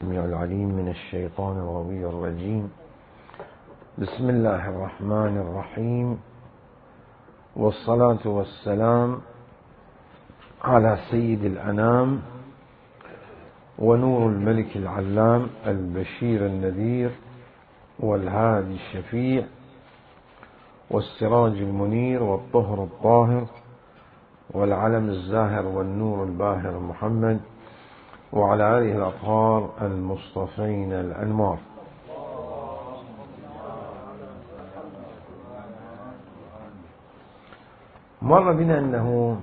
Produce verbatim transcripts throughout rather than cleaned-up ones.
السميع العليم من الشيطان الغوي الرجيم. بسم الله الرحمن الرحيم، والصلاة والسلام على سيد الأنام ونور الملك العلام البشير النذير والهادي الشفيع والسراج المنير والطهر الطاهر والعلم الزاهر والنور الباهر محمد وعلى آله الأطهار المصطفين الأنوار. مر بنا أنه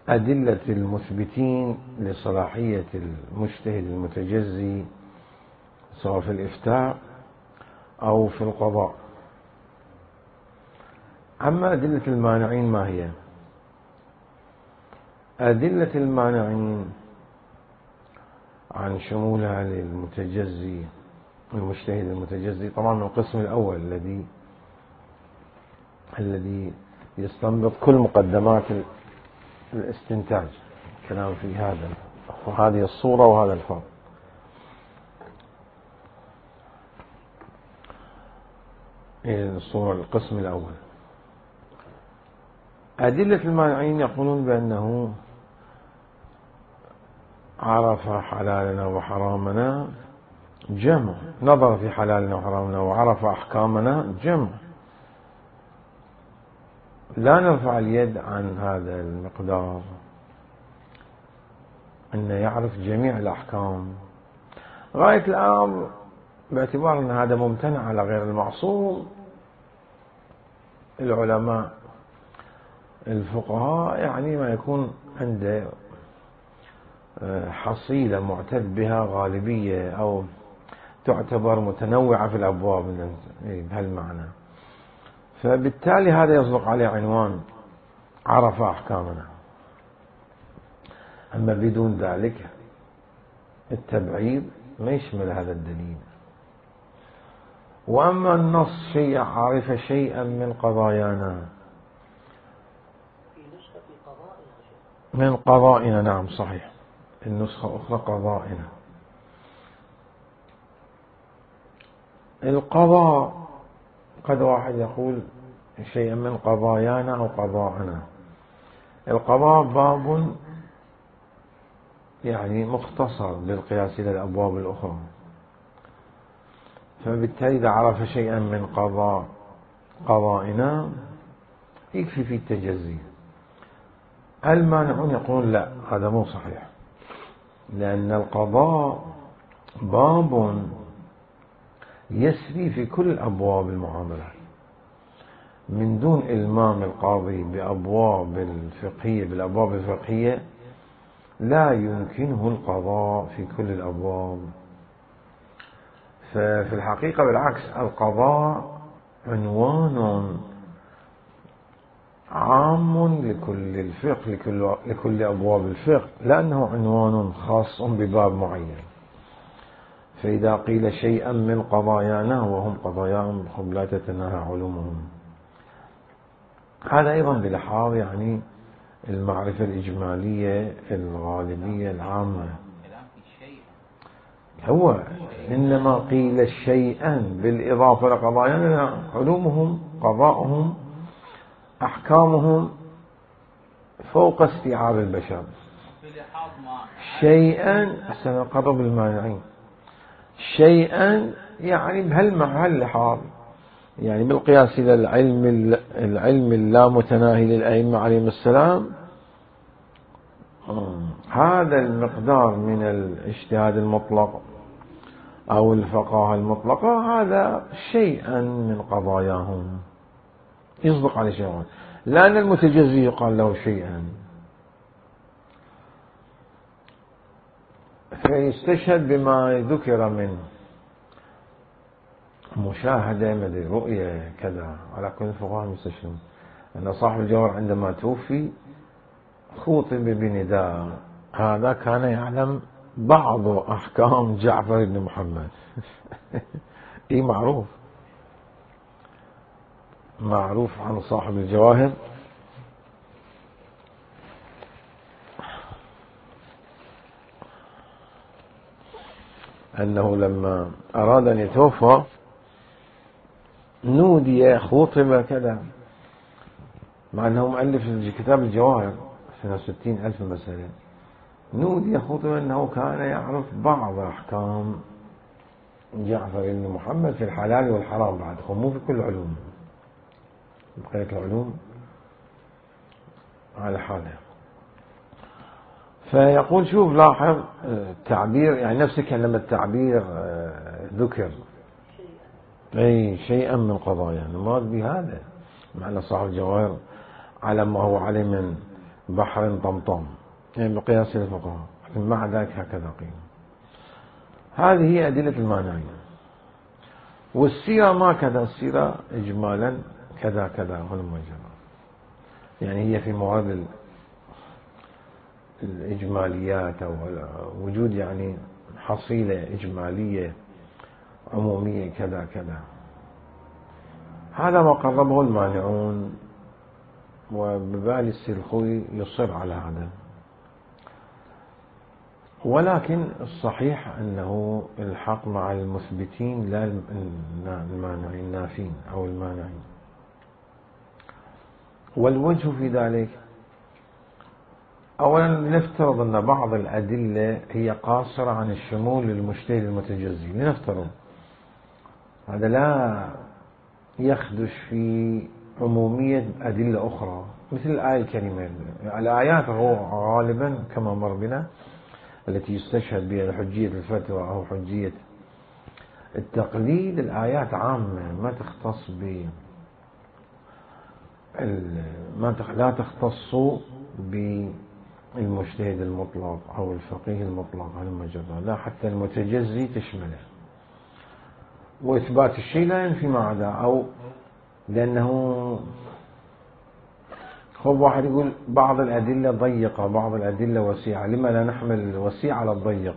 أدلة المثبتين لصلاحية المجتهد المتجزي سواء في الإفتاء أو في القضاء. أما أدلة المانعين ما هي؟ أدلة المانعين عن شمولها للمتجزي المجتهد المتجزي طبعا من القسم الأول الذي الذي يستنبط كل مقدمات الاستنتاج، كلام في هذا وهذه الصورة وهذا الفرق. الصورة القسم الأول. أدلة المانعين يقولون بأنه عرف حلالنا وحرامنا جمع، نظر في حلالنا وحرامنا وعرف أحكامنا جمع. لا نرفع اليد عن هذا المقدار، أنه يعرف جميع الأحكام. غاية الأمر باعتبار أن هذا ممتنع على غير المعصوم، العلماء الفقهاء يعني ما يكون عنده حصيلة معتد بها غالبية أو تعتبر متنوعة في الأبواب بهالمعنى، فبالتالي هذا يصدق عليه عنوان عرف أحكامنا. أما بدون ذلك التبعيض ما يشمل هذا الدليل. وأما النص شيء عرف شيئا من قضايانا من قضائنا، نعم صحيح، النسخة أخرى قضائنا. القضاء قد واحد يقول شيئا من قضايانا أو قضاءنا. القضاء باب يعني مختصر بالقياس إلى الأبواب الأخرى، فبالتالي إذا عرف شيئا من قضاء قضائنا يكفي في التجزي. المانعون يقولون لا، هذا مو صحيح، لأن القضاء باب يسري في كل أبواب المعاملات من دون إلمام القاضي بأبواب الفقهية بالأبواب الفقهية لا يمكنه القضاء في كل الأبواب. ففي الحقيقة بالعكس، القضاء عنوان عام لكل الفقه لكل, لكل أبواب الفقه، لأنه عنوان خاص بباب معين. فإذا قيل شيئا من قضايانا وهم قضاياهم لا تتناهى علومهم، هذا أيضا بلحاظ يعني المعرفة الإجمالية الغالبية العامة. هو إنما قيل شيئا بالإضافة لقضايانا، علومهم قضاؤهم أحكامهم فوق استيعاب البشر. شيئا سنقرب المانعين، شيئا يعني بهاللحاظ يعني بالقياس إلى العلم العلم اللامتناهي للأئمة عليهم السلام، هذا المقدار من الاجتهاد المطلق أو الفقاهة المطلقة هذا شيئا من قضاياهم يصدق على شيئا، لأن المتجزي يقال له شيئا. فيستشهد بما ذكر من مشاهدة مدري رؤية كذا، على كل الفقهاء يستشهدون أن صاحب الجوهر عندما توفي خوطب بنداء هذا كان يعلم بعض أحكام جعفر بن محمد. إيه معروف معروف عن صاحب الجواهر أنه لما أراد أن يتوفى نودي خطب كذا، مع أنه مؤلف كتاب الجواهر سنة ستين ألف مسألة، نودي خطب أنه كان يعرف بعض أحكام جعفر بن محمد في الحلال والحرام، بعد مو في كل العلوم، بقية العلوم على حاله. فيقول شوف لاحظ التعبير، يعني نفس كلمة التعبير ذكر أي شيئا من قضايا، المراد بهذا معنى صاحب الجواهر على ما هو عليه من بحر طمطم، يعني بقياس الفقهاء، لكن مع ذلك هكذا قيل. هذه هي أدلة المانعين. والسيرة ما كذا، السيرة إجمالا كذا كذا هلم جرى، يعني هي في مواد الإجماليات أو وجود يعني حصيلة إجمالية عمومية كذا كذا. هذا ما قربه المانعون، وببالي السيد الخوي يصر على هذا، ولكن الصحيح أنه الحق مع المثبتين لا المانعين، النافين أو المانعين. والوجه في ذلك أولا لنفترض أن بعض الأدلة هي قاصرة عن الشمول للمجتهد المتجزي، لنفترض هذا لا يخدش في عمومية أدلة أخرى، مثل الآية الكريمة. الآيات هو غالبا كما مر بنا التي يستشهد بها حجية الفتوى أو حجية التقليد، الآيات عامة ما تختص ب ما لا تختص بالمجتهد المطلق أو الفقيه المطلق على المجرد، لا حتى المتجزي تشمله. وإثبات الشيء لا ينفي ما عدا، أو لأنه خب واحد يقول بعض الأدلة ضيقة بعض الأدلة وسيعة، لما لا نحمل الوسيع على الضيق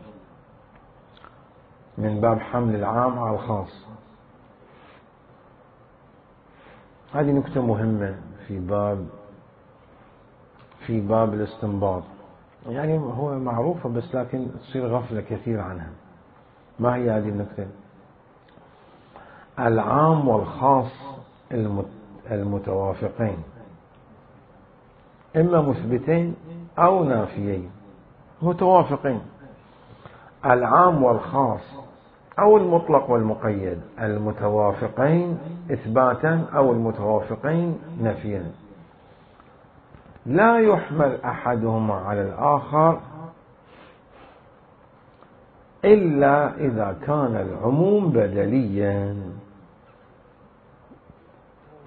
من باب حمل العام على الخاص؟ هذه نكتة مهمة في باب في باب الاستنباط، يعني هو معروفة بس لكن تصير غفلة كثير عنها. ما هي هذه النكتة؟ العام والخاص المتوافقين إما مثبتين أو نافيين متوافقين، العام والخاص أو المطلق والمقيد المتوافقين إثباتا أو المتوافقين نفيا، لا يحمل أحدهما على الآخر إلا إذا كان العموم بدليا.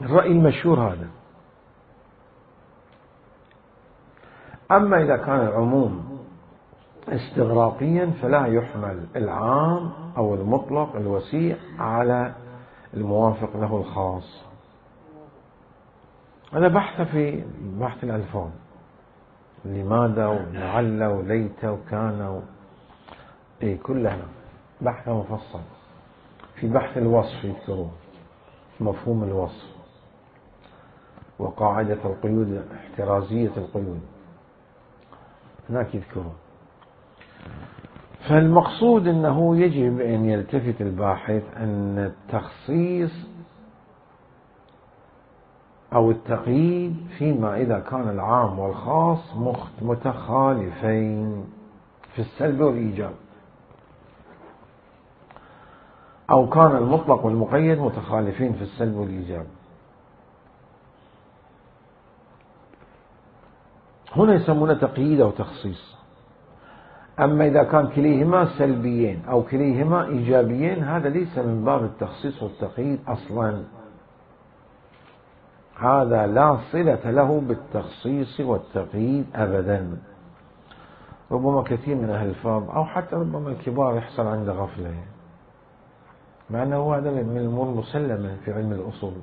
الرأي المشهور هذا. أما إذا كان العموم استغراقيا فلا يحمل العام أو المطلق الوسيع على الموافق له الخاص. هذا بحث في بحث الألفاظ، لماذا ولعل وليت وكان اي كلها بحث مفصل. في بحث الوصف يذكرون مفهوم الوصف وقاعدة القيود احترازية القيود، هناك يذكرون. فالمقصود أنه يجب أن يلتفت الباحث أن التخصيص أو التقييد فيما إذا كان العام والخاص متخالفين في السلب والإيجاب، أو كان المطلق والمقيد متخالفين في السلب والإيجاب، هنا يسمونه تقييد أو تخصيص. أما إذا كان كليهما سلبيين أو كليهما إيجابيين هذا ليس من باب التخصيص والتقييد أصلا، هذا لا صلة له بالتخصيص والتقييد أبدا. ربما كثير من أهل الفاظ أو حتى ربما الكبار يحصل عنده غفلة، مع أنه هذا من الأمور المسلمة في علم الأصول،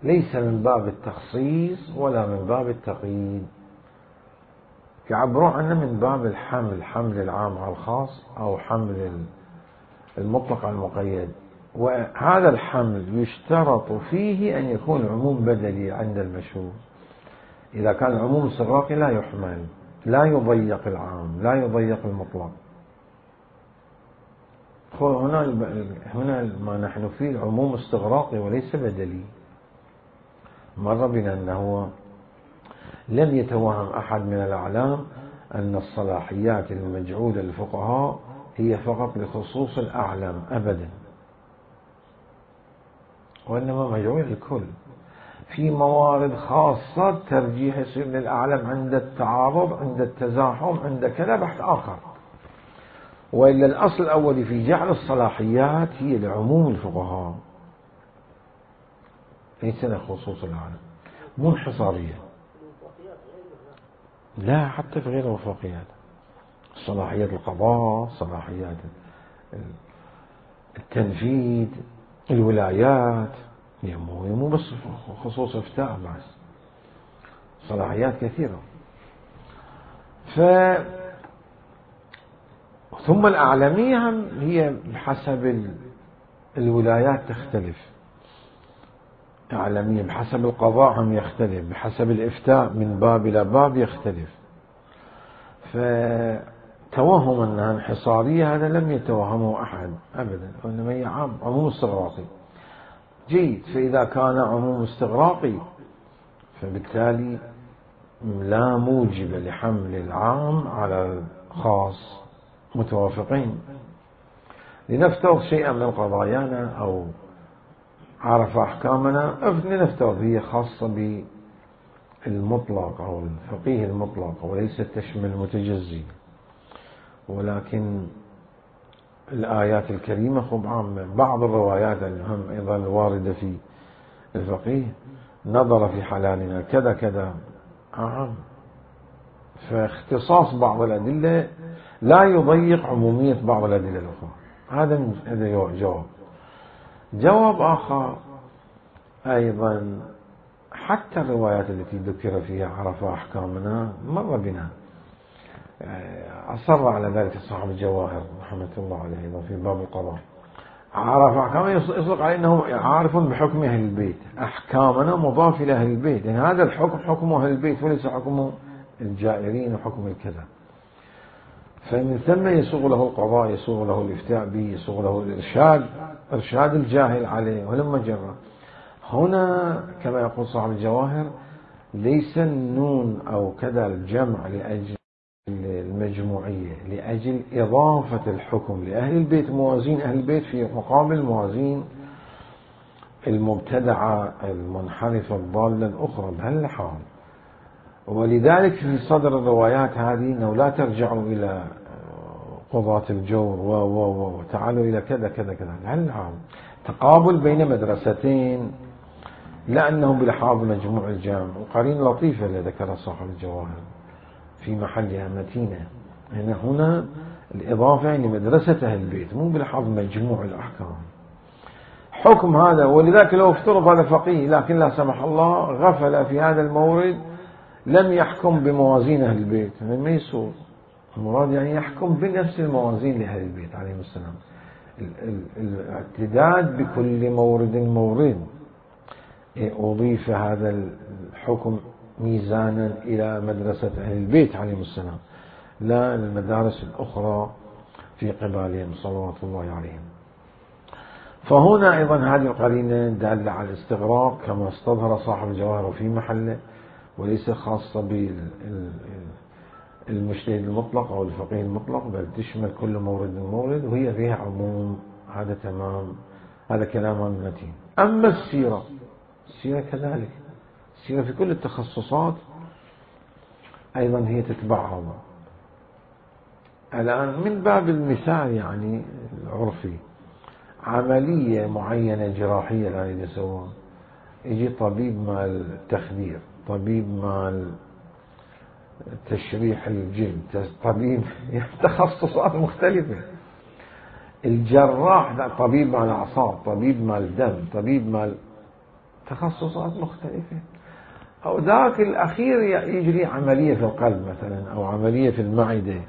ليس من باب التخصيص ولا من باب التقييد، يعبرون عنه من باب الحمل، حمل العام على الخاص أو حمل المطلق على المقيد. وهذا الحمل يشترط فيه أن يكون العموم بدلي عند المشهور. إذا كان العموم استغراقي لا يحمل، لا يضيق العام لا يضيق المطلق، هنا هنا ما نحن فيه العموم استغراقي وليس بدلي. مر بنا أنه لم يتوهم أحد من الأعلام أن الصلاحيات المجعولة للفقهاء هي فقط لخصوص الأعلم أبدا، وإنما مجعولة للكل. في موارد خاصة ترجيح يصير للأعلم عند التعارض، عند التزاحم، عند كذا بحث آخر، وإلا الأصل الأولي في جعل الصلاحيات هي لعموم الفقهاء ليس لخصوص العالم، مو انحصارية. لا، حتى في غير الوفاقيات، صلاحيات القضاء، صلاحيات التنفيذ، الولايات، مو بس خصوص افتاء، بس صلاحيات كثيرة. ف ثم الأعلمية هم هي بحسب الولايات تختلف، أعلمية بحسب القضاء هم يختلف، بحسب الإفتاء من باب إلى باب يختلف. فتوهم أنها انحصارية هذا لم يتوهمه أحد أبدا، وإنما هي عموم استغراقي. جيد، فإذا كان عموم استغراقي فبالتالي لا موجب لحمل العام على الخاص، متوافقين. لنفترض شيئا من قضايانا أو عرف أحكامنا، لنفترض هي خاصة بالمطلق أو الفقيه المطلق وليست تشمل المتجزي، ولكن الآيات الكريمة خب عامة. بعض الروايات الهم أيضا الواردة في الفقيه نظر في حلالنا كذا كذا عام، فاختصاص بعض الأدلة لا يضيق عمومية بعض الأدلة الأخرى. هذا هذا جواب. جواب آخر أيضا، حتى الروايات التي ذكر فيها عرف أحكامنا مر بنا، أصر على ذلك صاحب الجواهر رحمة الله عليه في باب القضاء. عرف أحكامنا يصدق عليه أنه عارف بحكم أهل البيت، أحكامنا مضاف إلى أهل البيت، يعني هذا الحكم حكم أهل البيت وليس حكم الجائرين وحكم الكذا. فمن ثم يسوغ له القضاء، يسوغ له الإفتاء به، يسوغ له الإرشاد، إرشاد الجاهل عليه ولما جرى. هنا كما يقول صاحب الجواهر ليس النون أو كذا الجمع لأجل المجموعية، لأجل إضافة الحكم لأهل البيت، موازين أهل البيت في مقابل موازين المبتدعة المنحرفة الضالة الأخرى بهالحال. ولذلك في صدر الروايات هذه أنه لا ترجعوا إلى قضاة الجور و و و تعالوا إلى كذا كذا كذا، هالحال تقابل بين مدرستين، لأنه بلحاظ مجموع الجامع. وقرين لطيفة اللي ذكر صاحب الجواهر في محلها متينة، هنا هنا الإضافة لمدرسة أهل البيت مو بلحاظ مجموع الأحكام. حكم هذا، ولذلك لو افترض هذا فقيه لكن لا سمح الله غفل في هذا المورد لم يحكم بموازين أهل البيت، ما يصير. المراد يعني يحكم بنفس الموازين لأهل البيت عليهم السلام، الاعتداد بكل مورد مورد. أضيف هذا الحكم ميزانا إلى مدرسة أهل البيت عليهم السلام، لا المدارس الأخرى في قبالهم صلوات الله عليهم. فهنا أيضا هذه القرينة دالة على الاستغراق كما استظهر صاحب الجواهر في محله، وليس خاصة بالمجتهد المطلق أو الفقيه المطلق، بل تشمل كل مورد مورد وهي فيها عموم. هذا تمام، هذا كلام متين. أما السيرة، السيرة كذلك، السيرة في كل التخصصات أيضا هي تتبعها. الآن من باب المثال يعني العرفي، عملية معينة جراحية لا يسوون، يجي طبيب مال التخدير، طبيب مال تشريح الجلد، طبيب تخصصات مختلفة. الجراح طبيب مال أعصاب، طبيب مال دم، طبيب مال تخصصات مختلفة. أو ذاك الأخير يجري عملية في القلب مثلا أو عملية في المعدة،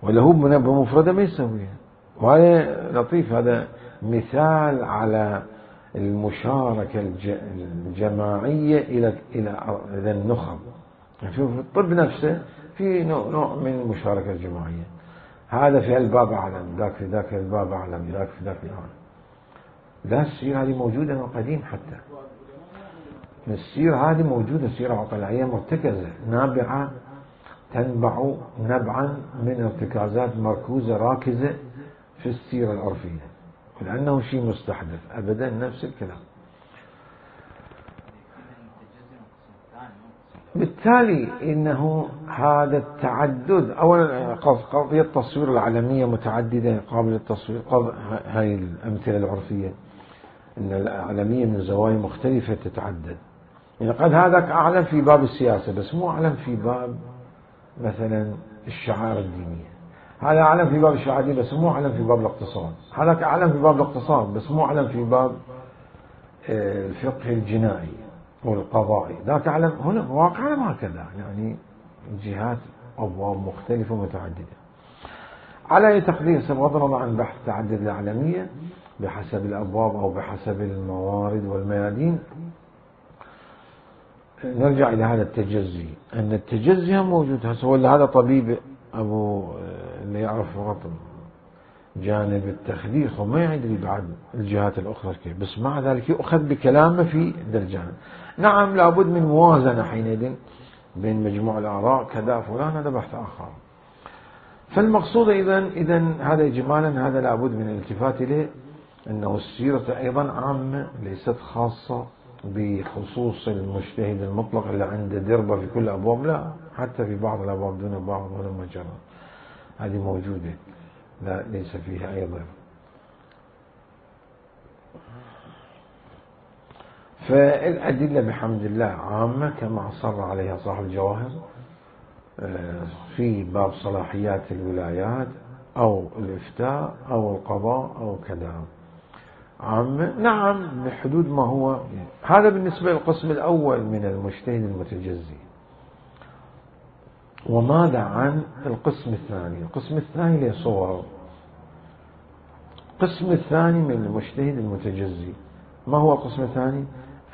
وله بمفردة ما يسويها. وهذا لطيف، هذا مثال على المشاركة الجماعية إلى إلى النخب. في الطب نفسه في نوع من المشاركة الجماعية. هذا في الباب أعلم، ذاك في ذاك الباب أعلم، ذاك في ذاك الأعلم. لا، السيرة هذه موجودة من قديم، حتى السيرة هذه موجودة، سيرة عقلائية مرتكزة نابعة تنبع نبعا من ارتكازات مركوزة راكزة في السيرة العرفية، لأنه شيء مستحدث أبدا، نفس الكلام. بالتالي إنه هذا التعدد، أولا قضية التصوير العلمية متعددة قابلة للتصوير، هاي الأمثلة العرفية إن العلمية من زوايا مختلفة تتعدد. يعني قد هذاك أعلم في باب السياسة بس مو أعلم في باب مثلا الشعائر الدينية، هذا أعلم في باب الشعائر الدينية بس مو أعلم في باب الاقتصاد، هذاك أعلم في باب الاقتصاد بس مو أعلم في باب الفقه الجنائي والقضائي، ذاك أعلم. هنا واقعنا هكذا، يعني جهات أبواب مختلفة ومتعددة. على أي تقدير بغض النظر عن بحث تعدد العلمية بحسب الأبواب أو بحسب الموارد والميادين، نرجع إلى هذا التجزي، أن التجزي موجود. هسه هذا طبيب أبو اللي يعرف فقط جانب التخدير وما يدري بعد الجهات الأخرى كيف، بس مع ذلك يؤخذ بكلامه في درجان. نعم لابد من موازنة حينئذ بين مجموع الآراء كذا فلان، هذا بحث آخر. فالمقصود إذن إذن هذا إجمالا هذا لابد من الالتفات إليه، أنه السيرة أيضا عامة ليست خاصة بخصوص المجتهد المطلق اللي عنده دربة في كل الأبواب، لا، حتى في بعض الأبواب دون بعض ولا مجرد، هذه موجودة، لا ليس فيها أي ضرر. فالأدلة بحمد الله عامة كما أصر عليها صاحب الجواهر في باب صلاحيات الولايات أو الإفتاء أو القضاء أو كذا عامة، نعم بحدود ما هو. هذا بالنسبة للقسم الأول من المجتهد المتجزي. وماذا عن القسم الثاني؟ القسم الثاني له صور. القسم الثاني من المجتهد المتجزي، ما هو القسم الثاني؟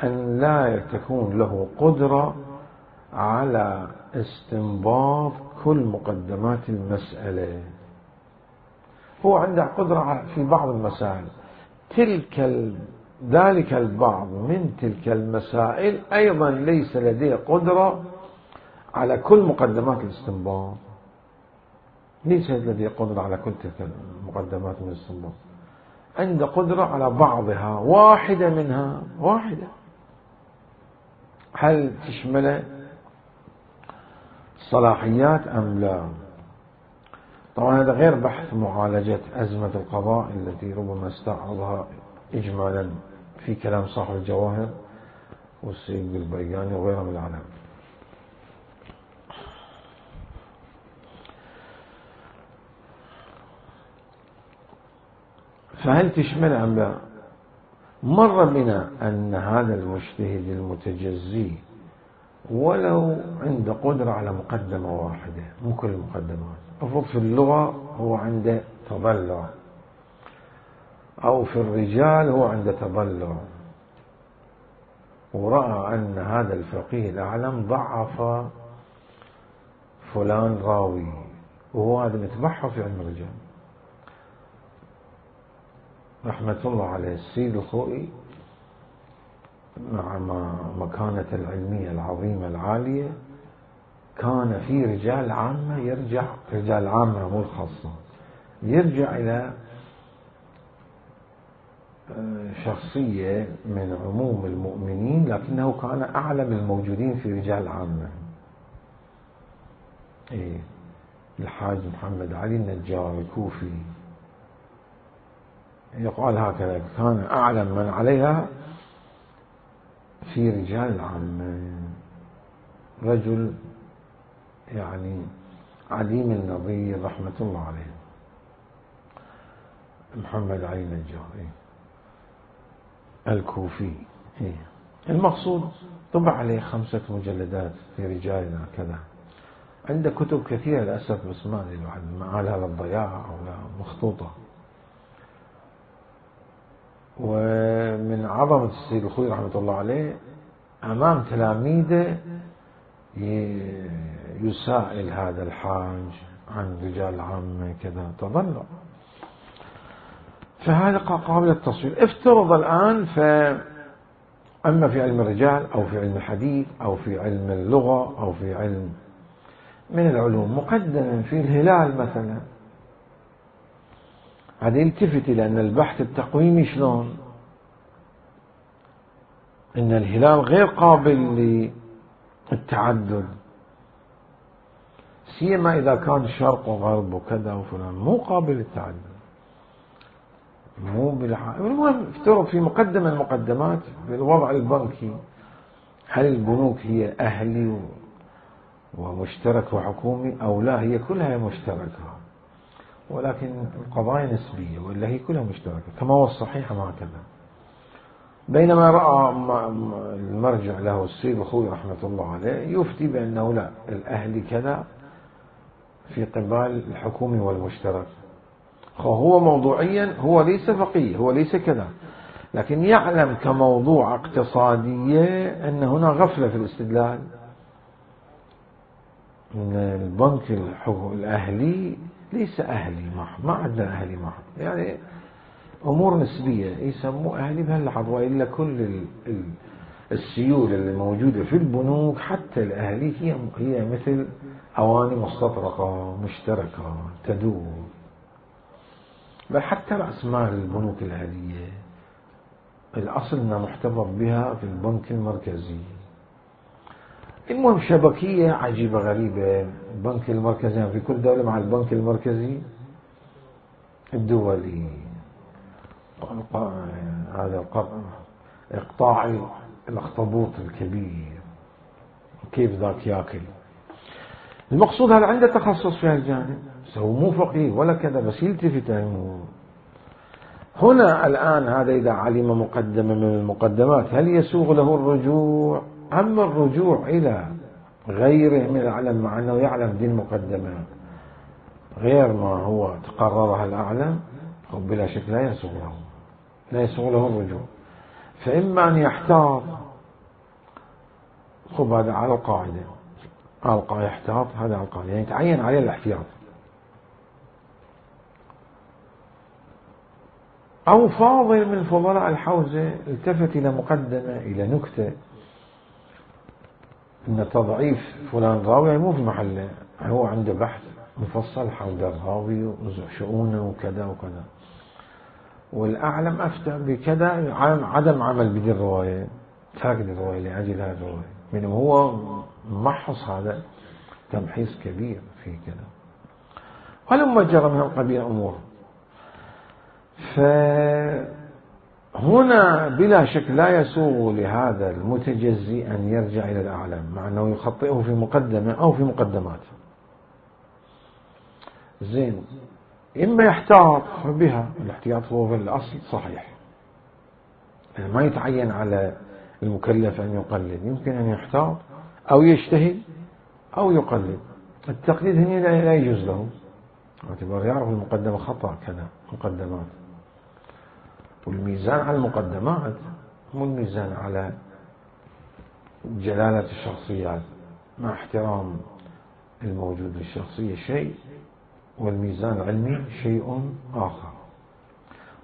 أن لا تكون له قدرة على استنباط كل مقدمات المسألة. هو عنده قدرة في بعض المسائل، تلك ذلك البعض من تلك المسائل أيضا ليس لديه قدرة على كل مقدمات الاستنباط، ليس لديه قدرة على كل تلك المقدمات من الاستنباط، عنده قدرة على بعضها، واحدة منها واحدة. هل تشمل صلاحيات أم لا؟ طبعا هذا غير بحث معالجة أزمة القضاء التي ربما استعرضها إجمالا في كلام صاحب الجواهر والسيد البياني وغيرهم من العلماء. فهل تشمل أم لا؟ مر بنا أن هذا المجتهد المتجزي ولو عنده قدرة على مقدمة واحدة، مو كل المقدمات، أفرض في اللغة هو عنده تضلع، أو في الرجال هو عنده تضلع، ورأى أن هذا الفقيه الأعلم ضعف فلان راوي، وهو هذا متبحر في علم الرجال رحمة الله عليه السيد الخوئي، مع مكانة العلمية العظيمة العالية، كان في رجال عامة يرجع، رجال عامة مو الخاصة، يرجع إلى شخصية من عموم المؤمنين، لكنه كان أعلم الموجودين في رجال عامة. إيه، الحاج محمد علي النجار الكوفي يقال هكذا، كان أعلم من عليها في رجال العامة، رجل يعني عديم النظير رحمة الله عليه، محمد علي النجار الكوفي. المقصود طبع عليه خمسة مجلدات في رجالنا كذا، عنده كتب كثيرة للأسف بس ما أدري الواحد معالها للضياع أو لا مخطوطة. ومن عظمة السيد الخوئي رحمة الله عليه أمام تلاميذه يسائل هذا الحاج عن رجال العامة كذا تضلع. فهذا قابل للتصوير. افترض الآن فأما في علم الرجال أو في علم الحديث أو في علم اللغة أو في علم من العلوم مقدما في الهلال مثلا، هذا يلتفت إلى أن البحث التقويمي شلون أن الهلال غير قابل للتعدد، سيما إذا كان شرق وغرب وكذا وفلان، مو قابل للتعدد، مو بالح... المهم افترض في مقدمة المقدمات بالوضع البنكي، هل البنوك هي أهلي ومشترك وحكومي أو لا؟ هي كلها مشتركة، ولكن القضايا نسبية، ولا هي كلها مشتركة كما هو الصحيح ما كذا. بينما رأى المرجع له السيد الخوي رحمة الله عليه يفتي بأنه لا، الأهلي كذا في قبال الحكومي والمشترك. هو موضوعيا هو ليس فقيه، هو ليس كذا، لكن يعلم كموضوع اقتصادية أن هنا غفلة في الاستدلال، أن البنك الأهلي ليس أهلي محض، ما عندنا أهلي محض، يعني أمور نسبية يسموه أهلي بهاللحظة، وإلا كل السيولة اللي موجودة في البنوك حتى الأهلي هي هي مثل أواني مستطرقة مشتركة تدور، بل حتى رأس مال البنوك الأهلية الأصل أنها محتفظ بها في البنك المركزي. المهم شبكية عجيبة غريبة، البنك المركزي يعني في كل دولة مع البنك المركزي الدولي، هذا إقطاع الأخطبوط الكبير كيف ذاك ياكل. المقصود هذا عنده تخصص في هالجانب، هو مو فقيه ولا كذا، بس يلتفت عنه. هنا الآن هذا إذا علم مقدمة من المقدمات هل يسوغ له الرجوع؟ أما الرجوع إلى غيره من العلم مع أنه يعلم دين مقدمة غير ما هو تقررها الأعلم، بلا شك لا يسوغ له، لا يسوغ له الرجوع. فإما أن يحتاط، خب هذا على القاعدة، على القاعدة يحتاط، هذا على القاعدة يعني يتعين عليه الاحتياط، أو فاضل من فضلاء الحوزة التفت إلى مقدمة إلى نكتة أن تضعيف فلان راوي مو في محله، هو عنده بحث مفصل حول الراوي وشؤونه وكذا وكذا، والأعلم أفتى بكذا عدم عمل بدي الرواية، ترك الرواية لأجل هذه الرواية، من هو محص هذا تمحيص كبير في كذا، ولما جرى من القبيل أمور. فهنا بلا شك لا يسوغ لهذا المتجزي أن يرجع إلى الأعلم مع أنه يخطئه في مقدمة أو في مقدمات. زين، إما يحتاط بها، الاحتياط هو في الأصل صحيح، يعني ما يتعين على المكلف أن يقلد، يمكن أن يحتاط أو يجتهد أو يقلد. التقليد هنا لا يجوز له، اعتبار يعرف المقدمة خطأ كذا مقدمات، والميزان على المقدمات مو الميزان على جلالة الشخصيات، مع احترام الموجود للشخصية شيء والميزان العلمي شيء آخر،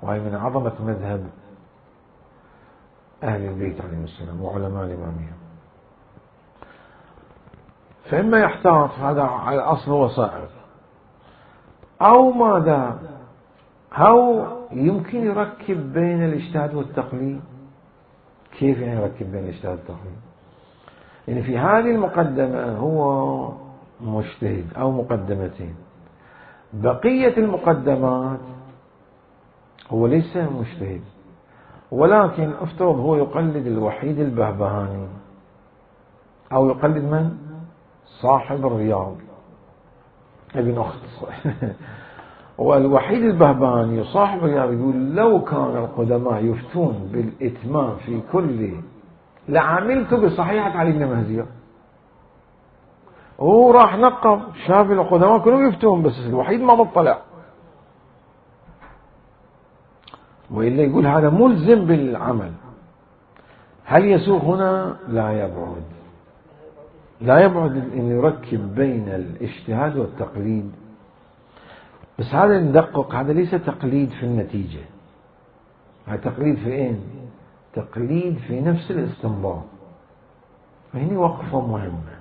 وهي من عظمة مذهب أهل البيت عليهم السلام وعلماء الإمامية. فإما يحتاط، هذا على الأصل هو صائغ، أو ماذا، أو يمكن يركب بين الاجتهاد والتقليد. كيف يعني يركب بين الاجتهاد والتقليد؟ يعني في هذه المقدمة هو مجتهد أو مقدمتين، بقية المقدمات هو ليس مجتهد، ولكن افترض هو يقلد الوحيد البهبهاني أو يقلد من؟ صاحب الرياض ابن أخت والوحيد البهبهاني صاحب الرياض يقول لو كان القدماء يفتون بالإتمام في كل لعملت بصحيحة علي بن مهزية، هو راح نقب شاف القدماء كلهم يفتون بس الوحيد ما بطلع، وإلا يقول هذا ملزم بالعمل. هل يسوغ هنا؟ لا يبعد، لا يبعد أن يركب بين الاجتهاد والتقليد بس هذا ندقق، هذا ليس تقليد في النتيجة، هذا تقليد في اين؟ تقليد في نفس الاستنباط. فهني وقفة مهمة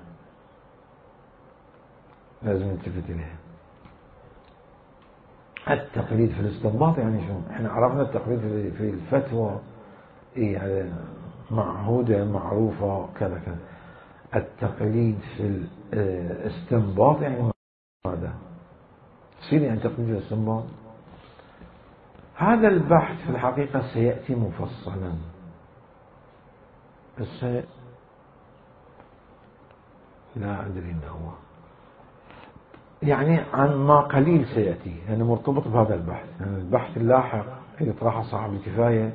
لازم نلتفت إليها. التقليد في الاستنباط يعني شو؟ احنا عرفنا التقليد في الفتوى ايه معهودة معروفة كذا كذا. التقليد في الاستنباط يعني ماذا؟ تصير يعني تقليد في الاستنباط. هذا البحث في الحقيقة سيأتي مفصلا، بس لا أدري إنه هو يعني عن ما قليل سيأتي، يعني مرتبط بهذا البحث. يعني البحث اللاحق يطرحه صاحب الكفاية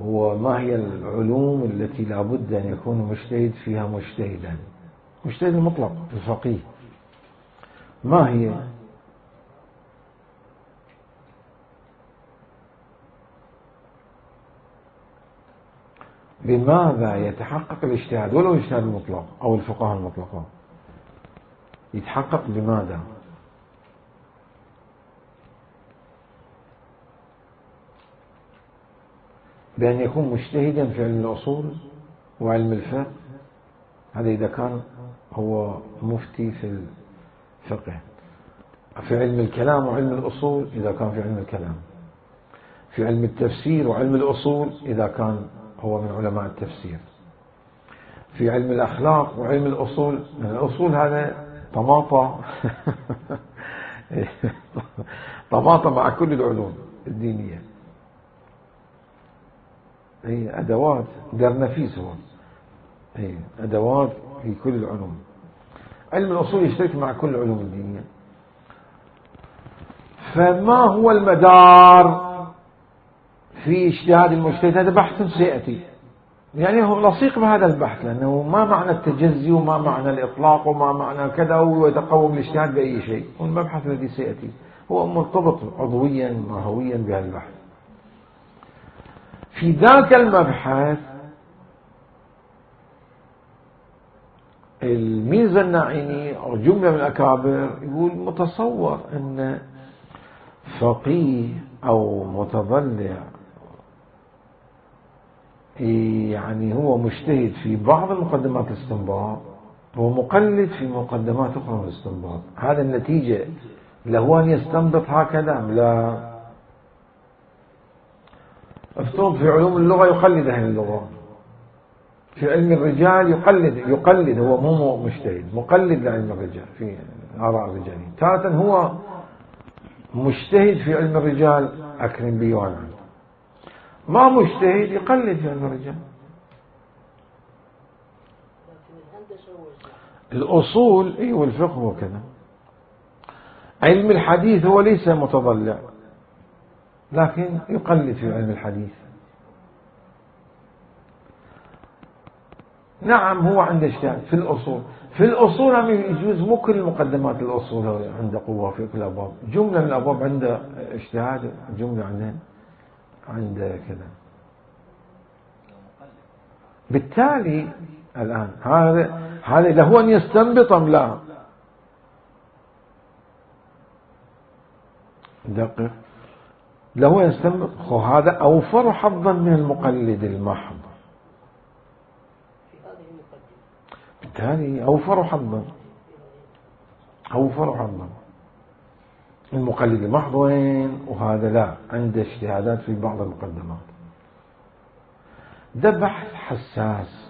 هو ما هي العلوم التي لا بد أن يكون مجتهد فيها مجتهدا، مجتهد المطلق الفقيه. ما هي؟ بماذا يتحقق الاجتهاد ولو الاجتهاد المطلق أو الفقهاء المطلقة؟ يتحقق بماذا؟ بأن يكون مجتهدا في علم الأصول وعلم الفقه، هذا إذا كان هو مفتي في الفقه. في علم الكلام وعلم الأصول إذا كان في علم الكلام. في علم التفسير وعلم الأصول إذا كان هو من علماء التفسير. في علم الأخلاق وعلم الأصول، من الأصول هذا طماطة طماطة مع كل العلوم الدينية، هي أدوات درنفيس، هو هي أدوات في كل العلوم. علم الأصول يشترك مع كل العلوم الدينية. فما هو المدار في اجتهاد المجتهد؟ هذا بحث سيأتي، يعني هو لصيق بهذا البحث، لأنه ما معنى التجزي وما معنى الإطلاق وما معنى كذا ويتقوم الاجتهاد بأي شيء. والمبحث الذي سيأتي هو مرتبط عضويا ماهويا بهذا البحث. في ذاك المبحث الميزة الناعيني أو جملة من الأكابر يقول متصور أن فقيه أو متضلع يعني هو مجتهد في بعض المقدمات الاستنباط ومقلد في مقدمات أخرى من الاستنباط، هذا النتيجة له أن يستنبط هكذا لا؟ افترض في علوم اللغة يقلد أهل اللغة، في علم الرجال يقلد يقلد هو مو مجتهد، مقلد لعلم الرجال في آراء الرجال. تارة هو مجتهد في علم الرجال أكرم بي وأنا عنه، ما مجتهد يقلد في علم الرجال. الأصول اي والفقه وكذا. علم الحديث هو ليس متضلع لكن يقلد في علم الحديث. نعم هو عنده اجتهاد في الأصول، في الأصول هم يجوز مو كل مقدمات الأصول عنده قوة في كل الأبواب، جملة من الأبواب عنده اجتهاد، جملة عنده عنده كذا. بالتالي الآن هذا هذا له أن يستنبط أم لا؟ دقيق، له أن يستنبط. هذا أوفر حظا من المقلد المحض، بالتالي أوفر حظا أوفر حظا. المقلد المحض وين؟ وهذا لا، عنده اجتهادات في بعض المقدمات. ده بحث حساس،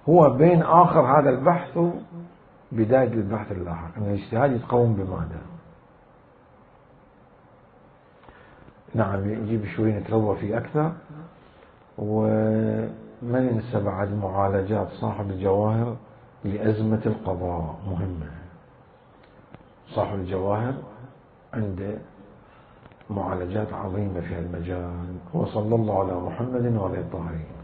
هو بين آخر هذا البحث وبداية البحث اللاحق، أن الاجتهاد يتقوم بماذا؟ نعم يجيب شوي نتروى فيه أكثر. وما ننسى بعد معالجات صاحب الجواهر لأزمة القضاء مهمة. صاحب الجواهر عنده معالجات عظيمة في المجال. وصلى الله على محمد وعلى الطاهرين.